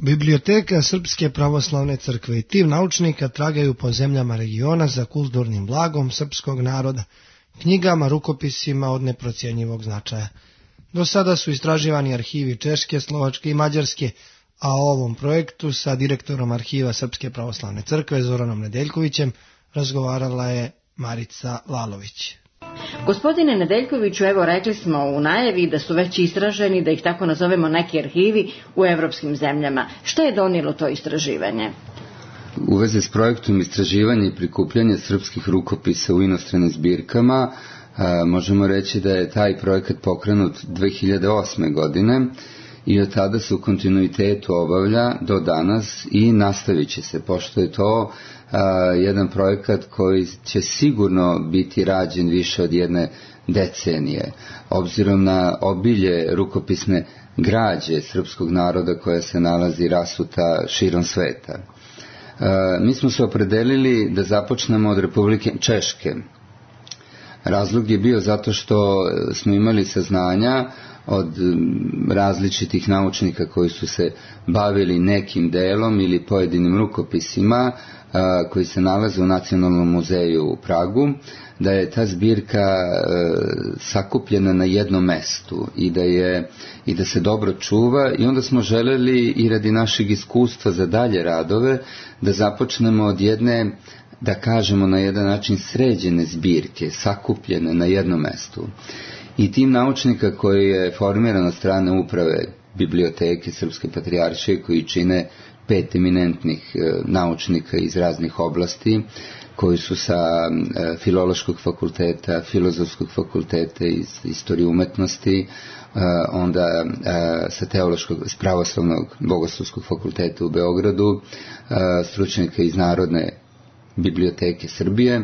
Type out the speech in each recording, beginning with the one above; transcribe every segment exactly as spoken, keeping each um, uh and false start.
Biblioteka Srpske pravoslavne crkve i tim naučnika tragaju po zemljama regiona za kulturnim blagom srpskog naroda, knjigama, rukopisima od neprocjenjivog značaja. Do sada su istraživani arhivi Češke, Slovačke i Mađarske, a o ovom projektu sa direktorom arhiva Srpske pravoslavne crkve Zoranom Nedeljkovićem razgovarala je Marica Lalović. Gospodine Nedeljkoviću, evo rekli smo u najavi da su već istraženi, da ih tako nazovemo, neki arhivi u evropskim zemljama. Šta je donijelo to istraživanje? U vezi s projektom istraživanja i prikupljanja srpskih rukopisa u inostranim zbirkama, a, možemo reći da je taj projekat pokrenut dve hiljade osme. godine i od tada se u kontinuitetu obavlja do danas i nastavit će se, pošto je to a, jedan projekat koji će sigurno biti rađen više od jedne decenije, obzirom na obilje rukopisne građe srpskog naroda koja se nalazi rasuta širom sveta. A, mi smo se opredelili da započnemo od Republike Češke. Razlog je bio zato što smo imali saznanja od različitih naučnika koji su se bavili nekim delom ili pojedinim rukopisima a, koji se nalaze u Nacionalnom muzeju u Pragu, da je ta zbirka a, sakupljena na jednom mestu i da je i da se dobro čuva, i onda smo želeli i radi našeg iskustva za dalje radove da započnemo od jedne, da kažemo na jedan način, sređene zbirke, sakupljene na jednom mestu. I tim naučnika koji je formiran od strane uprave Biblioteke Srpske patrijaršije, koji čine pet eminentnih e, naučnika iz raznih oblasti, koji su sa e, Filološkog fakulteta, Filozofskog fakulteta, iz istorije umetnosti, e, onda e, sa Teološkog, s Pravoslavnog Bogoslovskog fakulteta u Beogradu, e, stručnjaka iz Narodne biblioteke Srbije.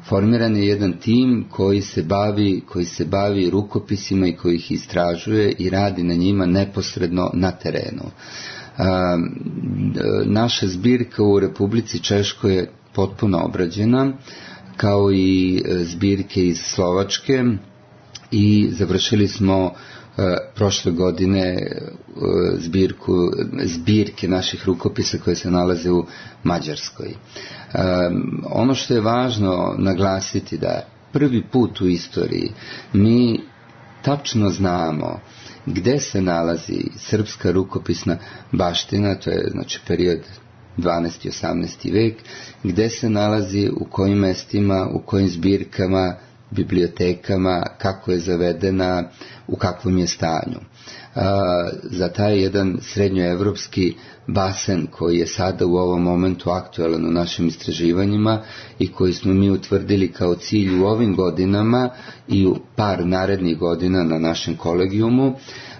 Formiran je jedan tim koji se bavi, koji se bavi rukopisima i koji ih istražuje i radi na njima neposredno na terenu. A, naša zbirka u Republici Češkoj je potpuno obrađena, kao i zbirke iz Slovačke, i završili smo prošle godine zbirku, zbirke naših rukopisa koje se nalaze u Mađarskoj. Ono što je važno naglasiti da prvi put u istoriji mi tačno znamo gde se nalazi srpska rukopisna baština, to je znači period dvanaesti i osamnaesti vek, gde se nalazi, u kojim mestima, u kojim zbirkama, bibliotekama, kako je zavedena, u kakvom je stanju. A, za taj jedan srednjoevropski basen koji je sada u ovom momentu aktualan u našim istraživanjima i koji smo mi utvrdili kao cilj u ovim godinama i u par narednih godina na našem kolegijumu,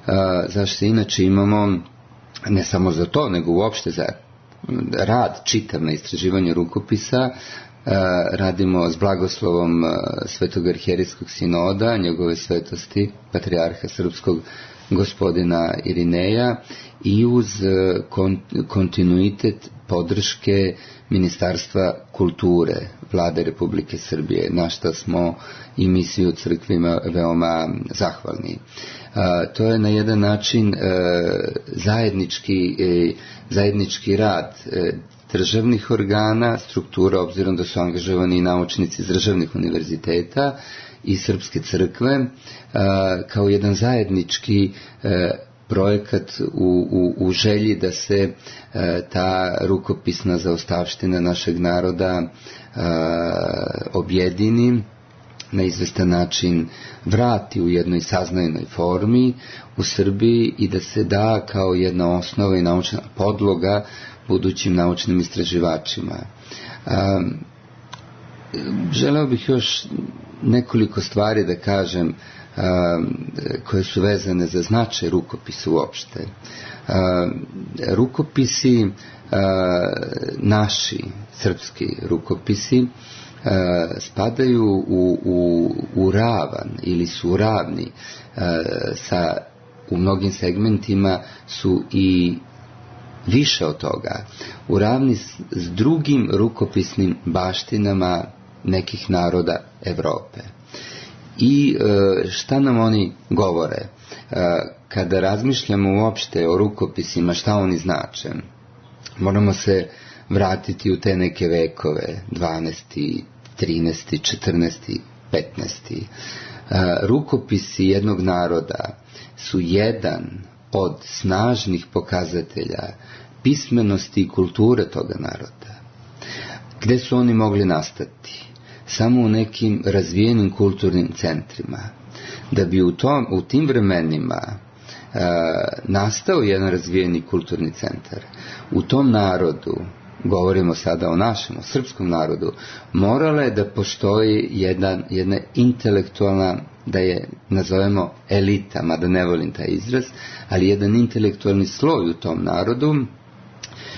a, zašto inače imamo, ne samo za to, nego uopšte za rad čitav na istraživanju rukopisa, radimo s blagoslovom Svetog arhijerijskog sinoda, njegove svetosti, patrijarha srpskog gospodina Irineja, i uz kontinuitet podrške Ministarstva kulture Vlade Republike Srbije, na što smo i mi svi u crkvima veoma zahvalni. To je na jedan način zajednički, zajednički rad državnih organa, struktura, obzirom da su angažovani i naučnici iz državnih univerziteta i Srpske crkve, kao jedan zajednički projekat u, u, u želji da se ta rukopisna zaostavština našeg naroda objedini, na izvestan način vrati u jednoj saznajnoj formi u Srbiji i da se da kao jedna osnova i naučna podloga budućim naučnim istraživačima. Um, želeo bih još nekoliko stvari da kažem um, koje su vezane za značaj rukopisa uopšte. Um, rukopisi, uh, naši srpski rukopisi, Uh, spadaju u, u, u ravan ili su ravni uh, sa, u mnogim segmentima su i više od toga, u ravni s, s drugim rukopisnim baštinama nekih naroda Evrope. I uh, šta nam oni govore? Uh, kada razmišljamo uopšte o rukopisima, šta oni znače, moramo se vratiti u te neke vekove, dvanaesti, trinaesti, četrnaesti, petnaesti. Rukopisi jednog naroda su jedan od snažnih pokazatelja pismenosti i kulture toga naroda. Gde su oni mogli nastati? Samo u nekim razvijenim kulturnim centrima. Da bi u, tom, u tim vremenima e, nastao jedan razvijeni kulturni centar, u tom narodu, govorimo sada o našem, o srpskom narodu, morala je da postoji jedan, jedna intelektualna, da je nazovemo elita, mada ne volim taj izraz, ali jedan intelektualni sloj u tom narodu,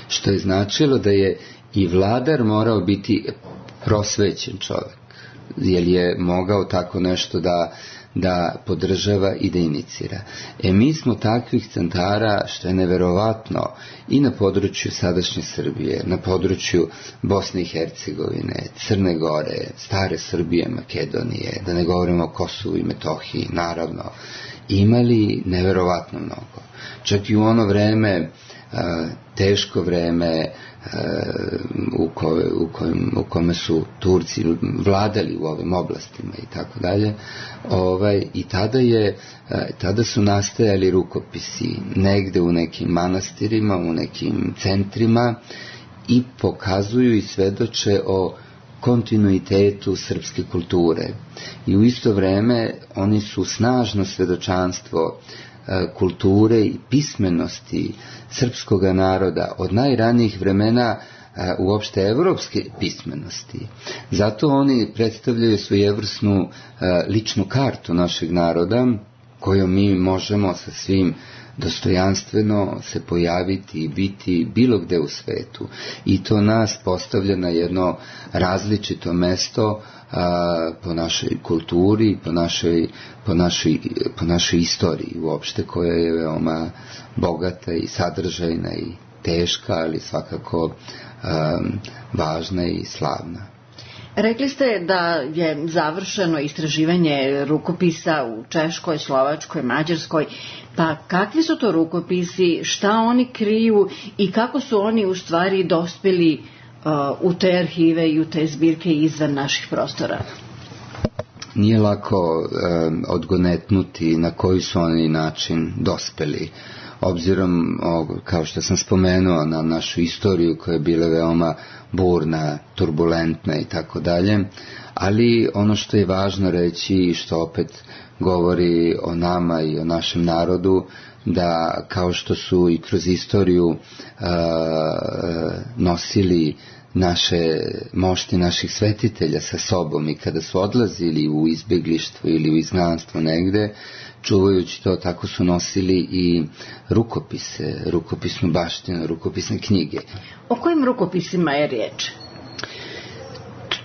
što je značilo da je i vladar morao biti prosvećen čovjek, jer je mogao tako nešto da, da podržava i da inicira. E mi smo takvih centara, što je neverovatno, i na području sadašnje Srbije, na području Bosne i Hercegovine, Crne Gore, stare Srbije, Makedonije, da ne govorimo o Kosovu i Metohiji, naravno, imali neverovatno mnogo. Čak i u ono vreme, teško vreme u, koje, u, kojem, u kome su Turci vladali u ovim oblastima i tako dalje, ovaj, i tada je tada su nastajali rukopisi negde u nekim manastirima, u nekim centrima, i pokazuju i svedoče o kontinuitetu srpske kulture. I u isto vreme oni su snažno svedočanstvo kulture i pismenosti srpskog naroda od najranijih vremena, uopšte evropske pismenosti. Zato oni predstavljaju svojevrsnu ličnu kartu našeg naroda, kojom mi možemo sa svim dostojanstveno se pojaviti i biti bilo gde u svetu. I to nas postavlja na jedno različito mesto a, po našoj kulturi, po našoj, po, našoj, po našoj istoriji uopšte, koja je veoma bogata i sadržajna i teška, ali svakako a, važna i slavna. Rekli ste da je završeno istraživanje rukopisa u Češkoj, Slovačkoj, Mađarskoj. Pa kakvi su to rukopisi, šta oni kriju i kako su oni u stvari dospeli uh, u te arhive i u te zbirke izvan naših prostora? Nije lako um, odgonetnuti na koji su oni način dospeli. Obzirom, kao što sam spomenuo, na našu istoriju koja je bila veoma burna, turbulentna i tako dalje, ali ono što je važno reći i što opet govori o nama i o našem narodu, da kao što su i kroz istoriju uh, nosili naše mošti naših svetitelja sa sobom i kada su odlazili u izbjeglištvo ili u izgnanstvo negde, čuvajući to, tako su nosili i rukopise, rukopisnu baštinu, rukopisne knjige. O kojim rukopisima je riječ?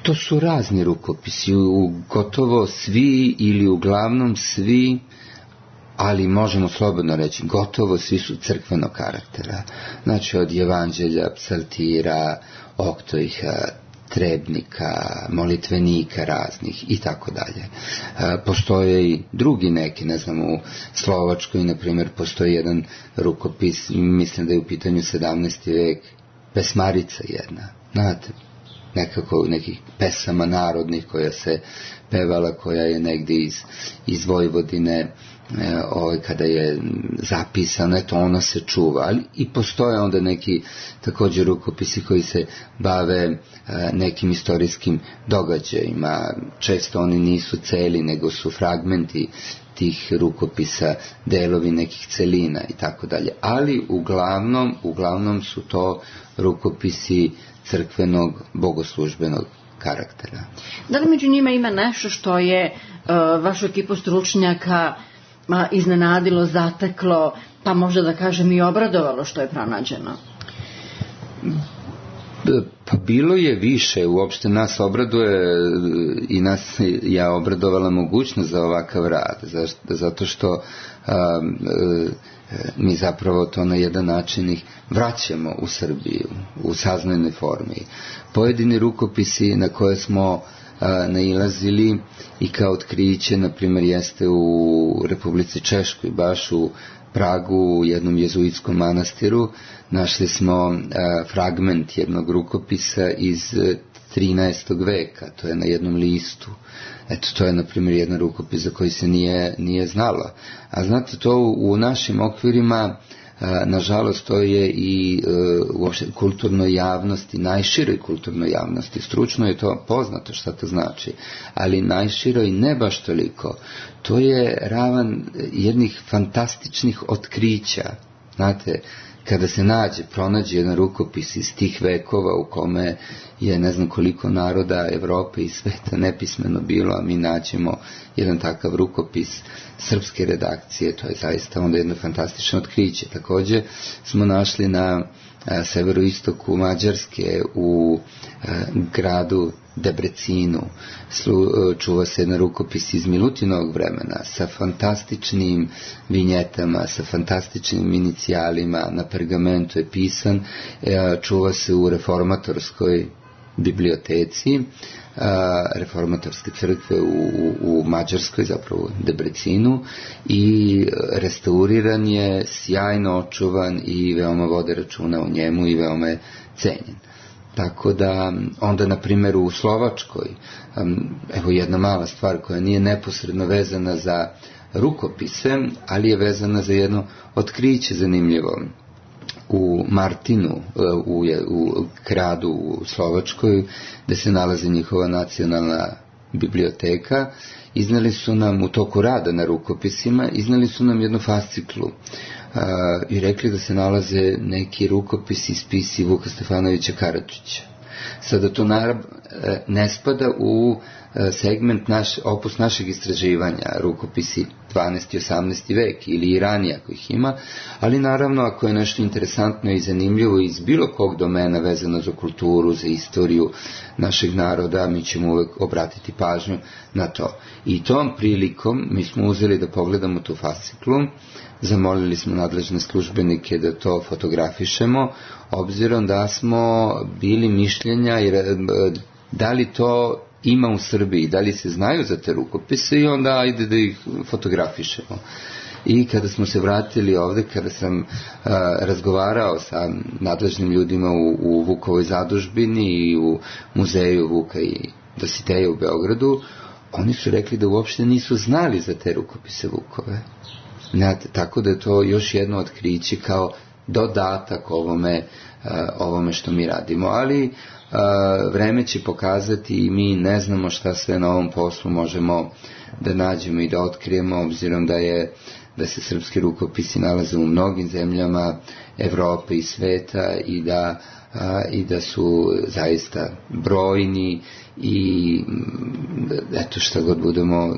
To su razni rukopisi, u gotovo svi ili uglavnom svi, ali možemo slobodno reći, gotovo svi su crkvenog karaktera. Znači od evanđelja, psaltira, oktojha, trebnika, molitvenika raznih i tako dalje. Postoje i drugi neki, ne znam, u Slovačkoj, na primjer, postoji jedan rukopis, mislim da je u pitanju sedamnaesti vek, pesmarica jedna, znate, nekako nekih pesama narodnih koja se pevala, koja je negdje iz, iz Vojvodine, ovaj, kada je zapisano, eto, ono se čuva, ali i postoje onda neki također rukopisi koji se bave nekim istorijskim događajima. Često oni nisu celi, nego su fragmenti tih rukopisa, delovi nekih celina i tako dalje. Ali uglavnom, uglavnom su to rukopisi crkvenog, bogoslužbenog karaktera. Da li među njima ima nešto što je uh, vašu ekipu stručnjaka uh, iznenadilo, zateklo, pa možda da kažem i obradovalo što je pronađeno? Pa bilo je više, uopšte nas obraduje i nas ja obradovala mogućnost za ovakav rad, zato što a, a, mi zapravo to na jedan način ih vraćamo u Srbiju u saznojnoj formi. Pojedini rukopisi na koje smo a, nailazili i kao otkriće, na primjer, jeste u Republici Češkoj, baš u Pragu u jednom jezuitskom manastiru našli smo fragment jednog rukopisa iz trinaestog veka, to je na jednom listu. Eto, to je, na primjer, jedan rukopis za koji se nije, nije znalo. A znate, to u, u našim okvirima, a, nažalost, to je i a, uopšte kulturnoj javnosti, najširoj kulturnoj javnosti. Stručno je to poznato šta to znači, ali najširoj ne baš toliko. To je ravan jednih fantastičnih otkrića. Znate, kada se nađe, pronađe jedan rukopis iz tih vekova u kome je ne znam koliko naroda Evrope i sveta nepismeno bilo, a mi nađemo jedan takav rukopis srpske redakcije, to je zaista onda jedno fantastično otkriće. Također smo našli na a, severoistoku Mađarske u a, gradu Debrecinu Slu, čuva se jedan rukopis iz Milutinovog vremena sa fantastičnim vinjetama, sa fantastičnim inicijalima, na pergamentu je pisan, čuva se u reformatorskoj biblioteci reformatorske crkve u, u, u Mađarskoj, zapravo u Debrecinu, i restauriran je, sjajno očuvan i veoma vode računa o njemu i veoma je cenjen. Tako da onda, na primjer, u Slovačkoj, evo jedna mala stvar koja nije neposredno vezana za rukopise, ali je vezana za jedno otkriće zanimljivo. U Martinu, u, u gradu u Slovačkoj, gde se nalazi njihova nacionalna biblioteka, iznali su nam u toku rada na rukopisima, iznali su nam jednu fasciklu uh, i rekli da se nalaze neki rukopisi iz spisi Vuka Stefanovića Karadžića. Sada to naravno ne spada u segment naš, opus našeg istraživanja, rukopisi dvanaesti i osamnaesti vek ili i ranije ako ih ima, ali naravno ako je nešto interesantno i zanimljivo iz bilo kog domena vezano za kulturu, za istoriju našeg naroda, mi ćemo uvek obratiti pažnju na to. I tom prilikom mi smo uzeli da pogledamo tu fasciklu, zamolili smo nadležne službenike da to fotografišemo, obzirom da smo bili mišljenja jer da li to ima u Srbiji, da li se znaju za te rukopise, i onda ajde da ih fotografišemo. I kada smo se vratili ovde, kada sam a, razgovarao sa nadležnim ljudima u, u Vukovoj zadužbini i u muzeju Vuka i Dositeja u Beogradu, oni su rekli da uopšte nisu znali za te rukopise Vukove. Znate, tako da je to još jedno otkriće kao dodatak ovome, a, ovome što mi radimo. Ali a, vreme će pokazati i mi ne znamo šta sve na ovom poslu možemo da nađemo i da otkrijemo, obzirom da je da se srpski rukopisi nalaze u mnogim zemljama Evrope i sveta i da, a, i da su zaista brojni i eto šta god budemo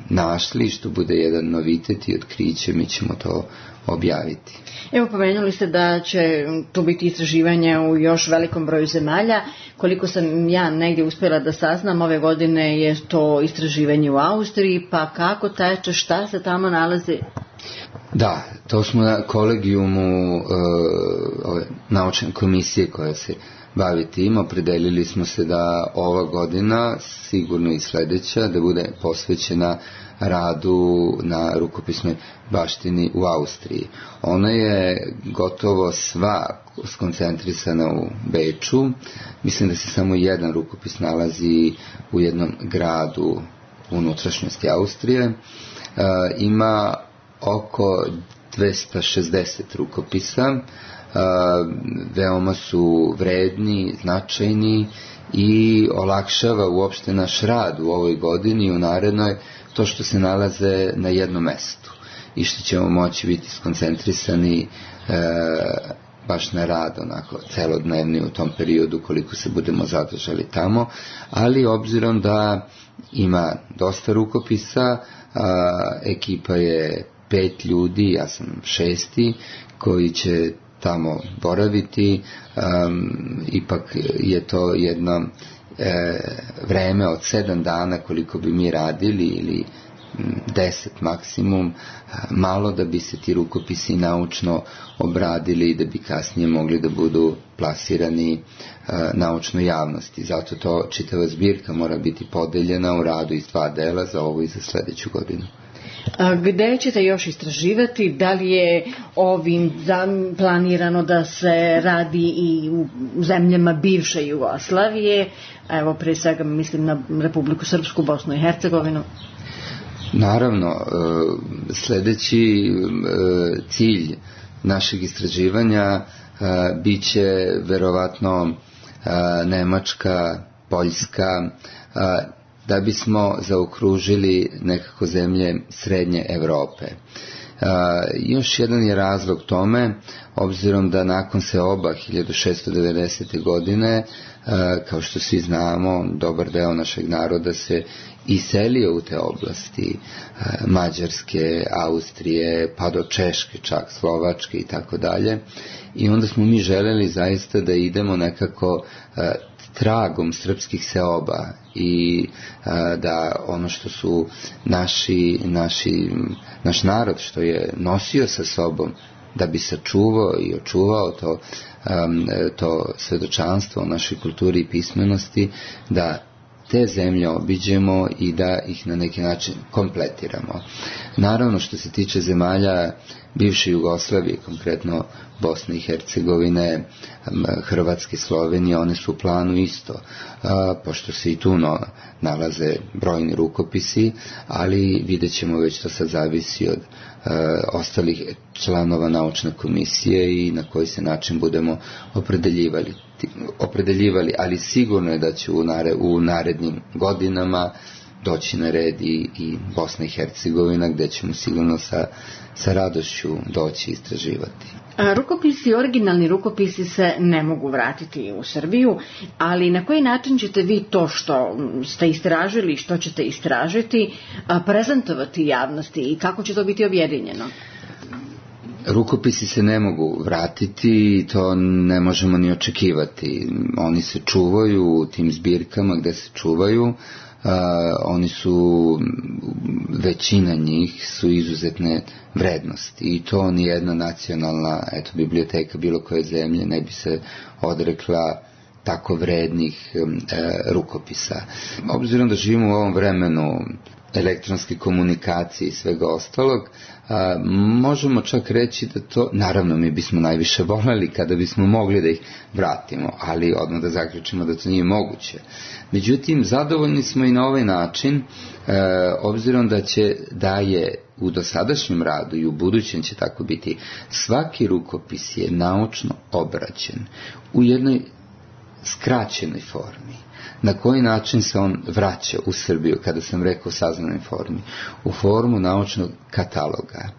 našli, što bude jedan novitet i otkriće, mi ćemo to objaviti. Evo, pomenuli ste da će tu biti istraživanja u još velikom broju zemalja. Koliko sam ja negdje uspjela da saznam, ove godine je to istraživanje u Austriji, pa kako teče, šta se tamo nalazi? Da, to smo na kolegijumu uh, ove naučne komisije koja se bavi tim, opredelili smo se da ova godina, sigurno i sledeća, da bude posvećena radu na rukopisnoj baštini u Austriji. Ona je gotovo sva skoncentrisana u Beču. Mislim da se samo jedan rukopis nalazi u jednom gradu u unutrašnjosti Austrije. E, ima oko dvesta šezdeset rukopisa. E, veoma su vredni, značajni i olakšava uopšte naš rad u ovoj godini i u narednoj to što se nalaze na jednom mestu i što ćemo moći biti skoncentrisani e, baš na rad onako celodnevni u tom periodu koliko se budemo zadržali tamo, ali obzirom da ima dosta rukopisa, a, ekipa je pet ljudi, ja sam šesti, koji će tamo boraviti, um, ipak je to jedno e, vreme od sedam dana koliko bi mi radili ili deset maksimum, malo da bi se ti rukopisi naučno obradili i da bi kasnije mogli da budu plasirani uh, naučnoj javnosti. Zato to čitava zbirka mora biti podeljena u radu iz dva dela za ovo i za sledeću godinu. Gde ćete još istraživati? Da li je ovim planirano da se radi i u zemljama bivše Jugoslavije? Evo, pre svega mislim na Republiku Srpsku, Bosnu i Hercegovinu. Naravno, sledeći cilj našeg istraživanja biće verovatno Nemačka, Poljska, da bismo zaokružili nekako zemlje srednje Evrope. Još jedan je razlog tome, obzirom da nakon seoba hiljadu šeststo devedesete. godine, kao što svi znamo, dobar deo našeg naroda se iselio u te oblasti, Mađarske, Austrije, pa do Češke, čak Slovačke i tako dalje. I onda smo mi želeli zaista da idemo nekako tragom srpskih seoba i a, da ono što su naši, naši, naš narod što je nosio sa sobom, da bi sačuvao i očuvao to, um, to svedočanstvo o našoj kulturi i pismenosti, da te zemlje obiđemo i da ih na neki način kompletiramo. Naravno, što se tiče zemalja bivše Jugoslavije, konkretno Bosne i Hercegovine, Hrvatske, Slovenije, one su u planu isto, a, pošto se i tu no, nalaze brojni rukopisi, ali vidjet ćemo, već to sad zavisi od a, ostalih članova naučne komisije i na koji se način budemo opredeljivali. opredeljivali, ali sigurno je da će u, nare, u narednim godinama doći na red i, i Bosna i Hercegovina, gde ćemo sigurno sa, sa radošću doći istraživati. Rukopisi, originalni rukopisi se ne mogu vratiti u Srbiju, ali na koji način ćete vi to što ste istražili i što ćete istražiti prezentovati javnosti i kako će to biti objedinjeno? Rukopisi se ne mogu vratiti i to ne možemo ni očekivati. Oni se čuvaju u tim zbirkama gde se čuvaju. Uh, oni su, većina njih su izuzetne vrednosti i to nijedna nacionalna eto, biblioteka bilo koje zemlje ne bi se odrekla tako vrednih um, e, rukopisa. Obzirom da živimo u ovom vremenu elektronske komunikacije i svega ostalog, a, možemo čak reći da to, naravno mi bismo najviše voljeli kada bismo mogli da ih vratimo, ali odmah da zaključimo da to nije moguće. Međutim, zadovoljni smo i na ovaj način, e, obzirom da će, da je u dosadašnjem radu i u budućem će tako biti, svaki rukopis je naučno obrađen u jednoj skraćenoj formi. Na koji način se on vraća u Srbiju, kada sam rekao u saznanoj formi? U formu naučnog kataloga,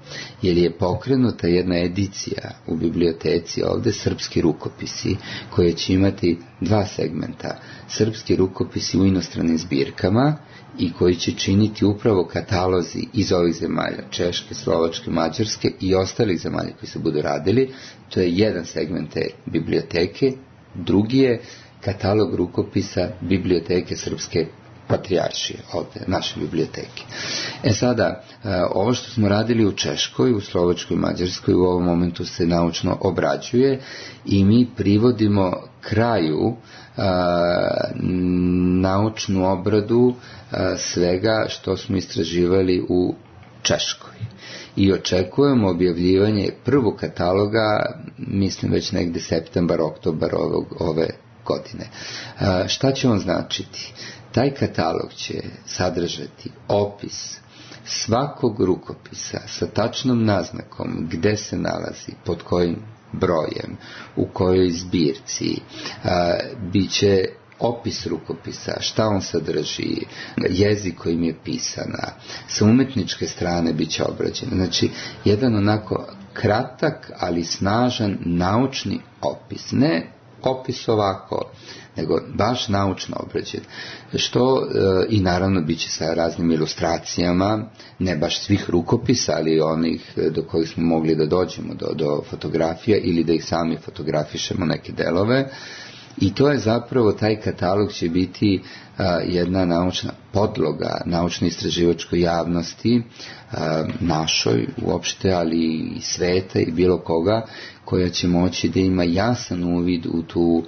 jer je pokrenuta jedna edicija u biblioteci ovde, srpski rukopisi, koje će imati dva segmenta. Srpski rukopisi u inostranim zbirkama i koji će činiti upravo katalozi iz ovih zemalja, Češke, Slovačke, Mađarske i ostalih zemalja koji se budu radili. To je jedan segment te biblioteke. Drugi je katalog rukopisa biblioteke Srpske patrijaršije, ovde, naše biblioteke. E sada, ovo što smo radili u Češkoj, u Slovačkoj, Mađarskoj, u ovom momentu se naučno obrađuje i mi privodimo kraju a, naučnu obradu a, svega što smo istraživali u Češkoj. I očekujemo objavljivanje prvog kataloga, mislim već negde septembar, oktobar ovog, ove godine. A, šta će on značiti? Taj katalog će sadržati opis svakog rukopisa sa tačnom naznakom gde se nalazi, pod kojim brojem, u kojoj zbirci, a, biće opis rukopisa, šta on sadrži, jezik kojim je pisana, sa umetničke strane bit će obrađen. Znači, jedan onako kratak, ali snažan naučni opis. Ne opis ovako, nego baš naučno obrađen. Što e, i naravno bit će sa raznim ilustracijama, ne baš svih rukopisa, ali onih do kojih smo mogli da dođemo, do, do fotografija ili da ih sami fotografišemo neke delove. I to je zapravo, taj katalog će biti a, jedna naučna podloga naučno-istraživačkoj javnosti, a, našoj uopšte, ali i sveta i bilo koga, koja će moći da ima jasan uvid u tu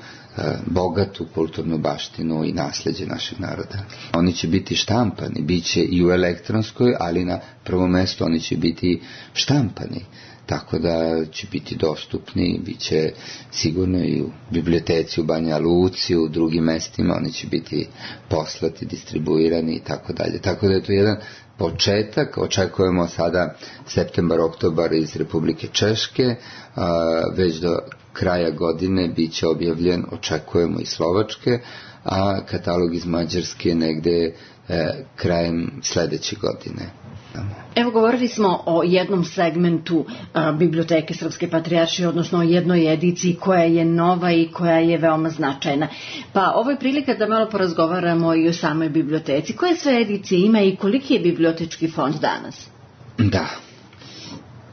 bogatu kulturnu baštinu i nasleđe našeg naroda. Oni će biti štampani, bit će i u elektronskoj, ali na prvom mestu oni će biti štampani, tako da će biti dostupni, bit će sigurno i u biblioteci u Banja Luci, u drugim mestima, oni će biti poslati, distribuirani i tako dalje. Tako da je to jedan početak, očekujemo sada septembar, oktobar iz Republike Češke, već do kraja godine bit će objavljen, očekujemo i Slovačke, a katalog iz Mađarske negde e, krajem sledeće godine. Evo, govorili smo o jednom segmentu a, Biblioteke Srpske patrijaršije, odnosno o jednoj ediciji koja je nova i koja je veoma značajna. Pa ovo je prilika da malo porazgovaramo i o samoj biblioteci. Koje sve edicije ima i koliki je bibliotečki fond danas? Da.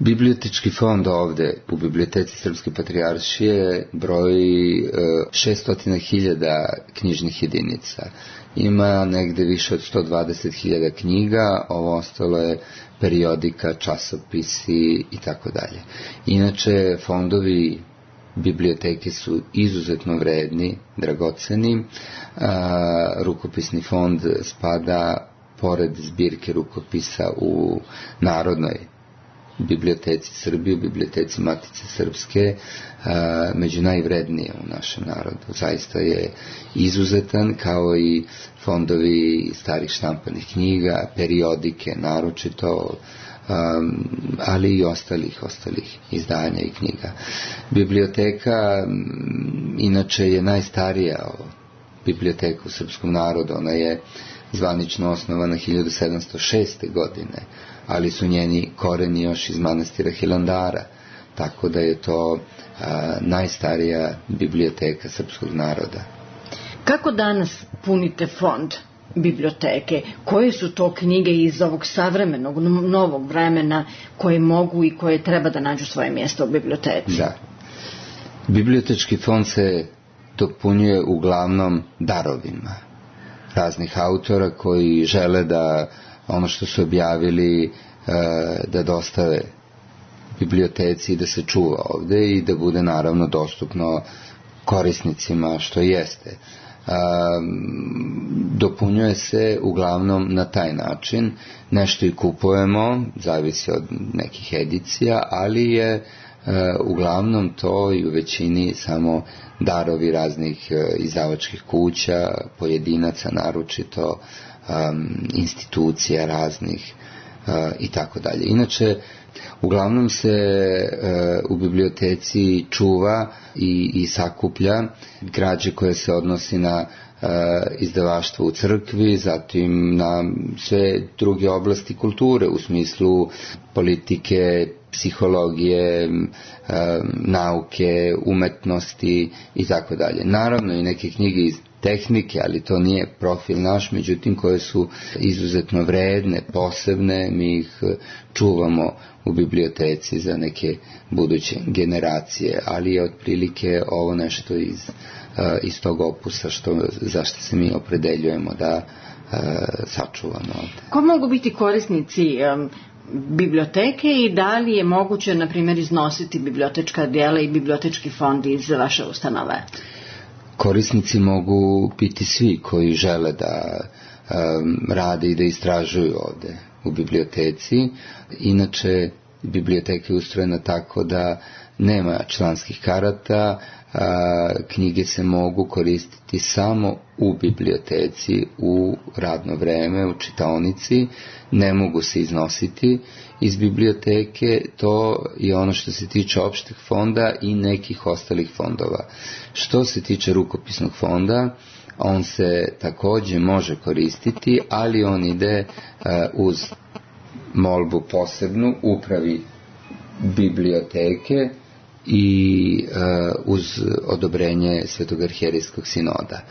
Bibliotečki fond ovde u Biblioteci Srpske patrijaršije broji šesto hiljada knjižnih jedinica. Ima negde više od sto dvadeset hiljada knjiga, ovo ostalo je periodika, časopisi i tako dalje. Inače, fondovi biblioteke su izuzetno vredni, dragoceni. Rukopisni fond spada pored zbirke rukopisa u Narodnoj biblioteci Srbije, u biblioteci Matice Srpske, među najvrednije u našem narodu. Zaista je izuzetan, kao i fondovi starih štampanih knjiga, periodike naročito, ali i ostalih, ostalih izdanja i knjiga. Biblioteka inače je najstarija biblioteka u srpskom narodu, ona je zvanično osnovana hiljadu sedamsto šeste. godine, ali su njeni koreni još iz manastira Hilandara, tako da je to a, najstarija biblioteka srpskog naroda. Kako danas punite fond biblioteke? Koje su to knjige iz ovog savremenog, novog vremena koje mogu i koje treba da nađu svoje mjesto u biblioteci? Da. Bibliotečki fond se dopunjuje uglavnom darovima raznih autora koji žele da ono što su objavili da dostave biblioteci i da se čuva ovde i da bude naravno dostupno korisnicima, što jeste. Dopunjuje se uglavnom na taj način. Nešto i kupujemo, zavisi od nekih edicija, ali je uglavnom to i u većini samo darovi raznih izdavačkih kuća, pojedinaca naročito, institucija raznih i tako dalje. Inače, uglavnom se u biblioteci čuva i, i sakuplja građe koje se odnosi na izdavaštvo u crkvi, zatim na sve druge oblasti kulture u smislu politike, psihologije, nauke, umetnosti i tako dalje. Naravno i neke knjige iz tehnike, ali to nije profil naš, međutim koje su izuzetno vredne, posebne, mi ih čuvamo u biblioteci za neke buduće generacije, ali je otprilike ovo nešto iz, iz tog opusa što, zašto se mi opredeljujemo da sačuvamo ovde. Ko mogu biti korisnici um, biblioteke i da li je moguće, na primjer, iznositi bibliotečka djela i bibliotečki fond iz vaše ustanove? Korisnici mogu biti svi koji žele da um, rade i da istražuju ovde u biblioteci. Inače, biblioteka je ustrojena tako da nema članskih karata, a, knjige se mogu koristiti samo u biblioteci, u radno vreme, u čitaonici, ne mogu se iznositi iz biblioteke. To je ono što se tiče opšteg fonda i nekih ostalih fondova. Što se tiče rukopisnog fonda, on se takođe može koristiti, ali on ide uh, uz molbu posebnu upravi biblioteke i uh, uz odobrenje Svetog arhijerijskog sinoda.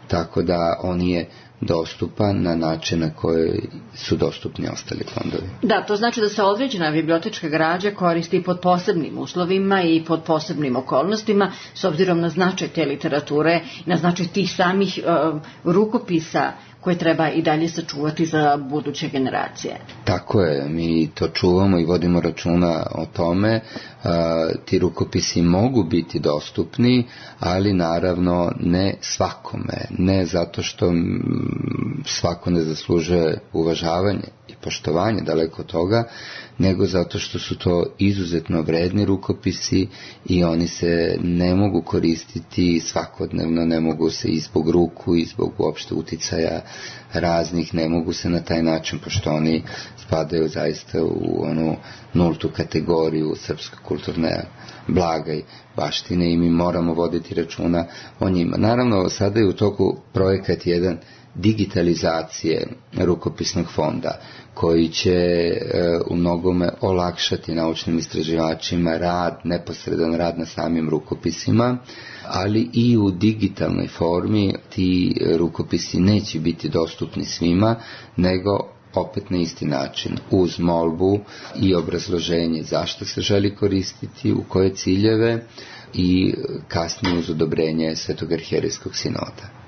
Tako da on je dostupan na način na koji su dostupni ostali fondovi. Da, to znači da se određena bibliotečka građa koristi pod posebnim uslovima i pod posebnim okolnostima, s obzirom na značaj te literature, na značaj tih samih uh, rukopisa koje treba i dalje sačuvati za buduće generacije. Tako je, mi to čuvamo i vodimo računa o tome. Ti rukopisi mogu biti dostupni, ali naravno ne svakome, ne zato što svako ne zaslužuje uvažavanje i poštovanje, daleko od toga, nego zato što su to izuzetno vredni rukopisi i oni se ne mogu koristiti svakodnevno, ne mogu se i zbog ruku i zbog uopšte uticaja raznih, ne mogu se na taj način, pošto oni spadaju zaista u onu nultu kategoriju srpske kulturne blaga i baštine i mi moramo voditi računa o njima. Naravno, sada je u toku projekat jedan digitalizacije rukopisnog fonda koji će e, u mnogome olakšati naučnim istraživačima rad, neposredan rad na samim rukopisima, ali i u digitalnoj formi ti rukopisi neće biti dostupni svima, nego opet na isti način, uz molbu i obrazloženje zašto se želi koristiti, u koje ciljeve i kasnije uz odobrenje Svetog arhijerejskog sinoda.